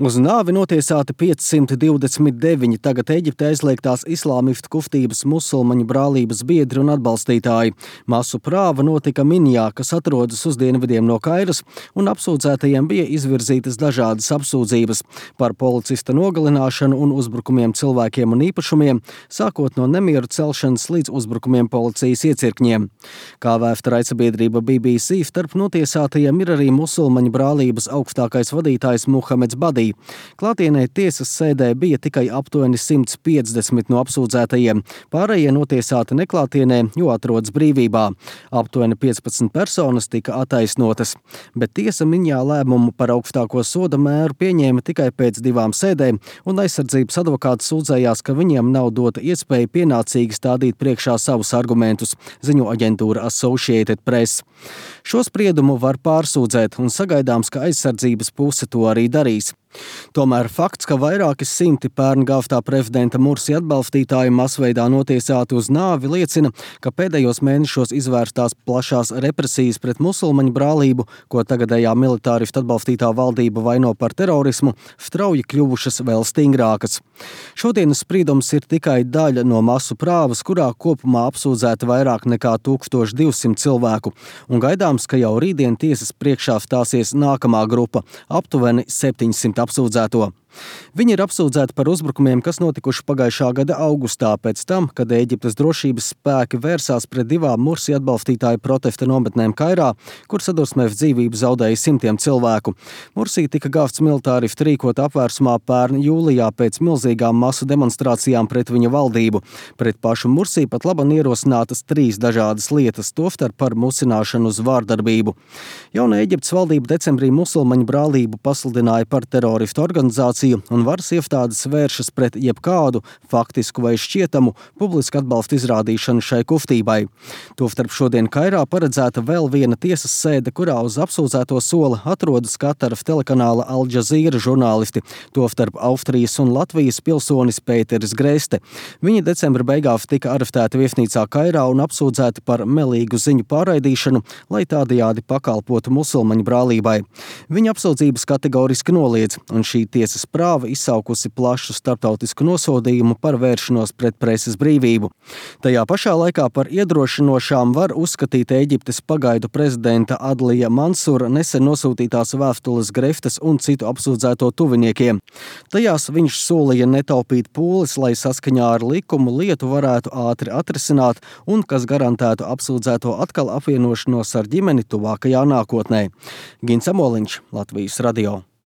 Uz nāvi notiesāti 529 tagad Eģiptē aizliegtās islāmistu kustības musulmaņu brālības biedri un atbalstītāji. Masu prāva notika Minjā, kas atrodas uz dienvidiem no Kairas, un apsūdzētajiem bija izvirzītas dažādas apsūdzības par policista nogalināšanu un uzbrukumiem cilvēkiem un īpašumiem, sākot no nemieru celšanas līdz uzbrukumiem policijas iecirkņiem. Kā vēsta raidsabiedrība BBC, starp notiesātajiem ir arī musulmaņu brālības augstākais vadītājs Muhameds Badī. Klātienē tiesas sēdē bija tikai aptuveni 150 no apsūdzētajiem. Pārējie notiesāti neklātienē, jo atrodas brīvībā. Aptuveni 15 personas tika attaisnotas, bet tiesa Minjā lēmumu par augstāko soda mēru pieņēma tikai pēc 2 sēdēm, un aizsardzības advokāts sūdzējās, ka viņiem nav dota iespēja pienācīgi stādīt priekšā savus argumentus, ziņo aģentūra Associated Press. Šo spriedumu var pārsūdzēt, un sagaidāms, ka aizsardzības puse to arī darīs. Tomēr fakts, ka vairāki simti pērn gāvtā prezidenta Mursi atbalstītāji masveidā notiesāti uz nāvi, liecina, ka pēdējos mēnešos izvērstās plašās represijas pret musulmaņu brālību, ko tagadējā militāristu atbalstītā valdība vaino par terorismu, strauji kļuvušas vēl stingrākas. Šodienas spriedums ir tikai daļa no masu prāvas, kurā kopumā apsūdzēti vairāk nekā 1200 cilvēku, un gaidāms, ka jau rītdien tiesas priekšā stāsies nākamā grupa – aptuveni 700 apsūdzēto. Viņi ir apsūdzēti par uzbrukumiem, kas notikuši pagājušā gada augustā, pēc tam, kad Ēģiptes drošības spēki vērsās pret 2 Mursi atbalstītāju protesta nometnēm Kairā, kur sadursmēs dzīvību zaudēja simtiem cilvēku. Mursi tika gāvts militāristu rīkot apvērsumā pērn jūlijā pēc milzīgām masu demonstrācijām pret viņa valdību. Pret pašu Mursi pat laban ierosinātas 3 dažādas lietas, tostarp par musināšanu uz vārdarbību. Jauna Ēģiptes valdība decembrī musulmaņu brālību pasludināja par teroristu organizāciju, un varas iestādes vēršas pret jebkādu faktisku vai šķietamu publisku atbalstu izrādīšanu šai kustībai. Tostarp šodien Kairā paredzēta vēl viena tiesas sēde, kurā uz apsūdzēto sola atrodas Kataras telekanāla Al Jazeera žurnālisti, tostarp Austrijas un Latvijas pilsonis Pēteris Greste. Viņi decembra beigās tika arestēti viesnīcā Kairā un apsūdzēti par melīgu ziņu pārraidīšanu, lai tādējādi pakalpotu musulmaņu brālībai. Viņa apsūdzības kategoriski noliedz, un šī tiesas prāva izsaukusi plašu starptautisku nosodījumu par vēršanos pret preses brīvību. Tajā pašā laikā par iedrošinošām var uzskatīt Ēģiptes pagaidu prezidenta Adlija Mansura nesen nosūtītās vēstules Greftes un citu apsūdzēto tuviniekiem. Tajās viņš solīja netaupīt pūles, lai saskaņā ar likumu lietu varētu ātri atrisināt un kas garantētu apsūdzēto atkal apvienošanos ar ģimeni tuvākajā nākotnē. Gins Amoliņš, Latvijas radio.